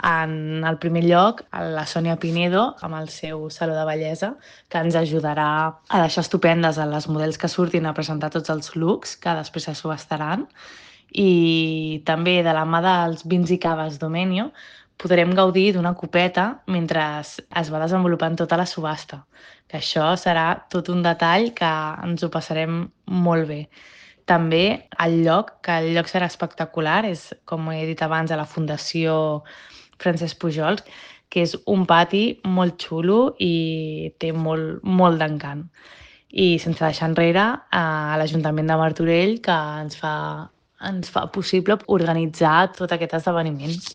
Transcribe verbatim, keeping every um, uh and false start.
En el primer lloc, la Sònia Pinedo, amb el seu Saló de Bellesa, que ens ajudarà a deixar estupendes a les models que surtin a presentar tots els looks que després se subastaran. I també de la mà dels vins i caves Domenio podrem gaudir d'una copeta mentre es va desenvolupant tota la subhasta, que això serà tot un detall que ens ho passarem molt bé. També el lloc, que el lloc serà espectacular, és, com he dit abans, a la Fundació Francesc Pujols, que és un pati molt xulo i té molt, molt d'encant. I sense deixar enrere a l'Ajuntament de Martorell, que ens fa, ens fa possible organitzar tot aquest esdeveniment.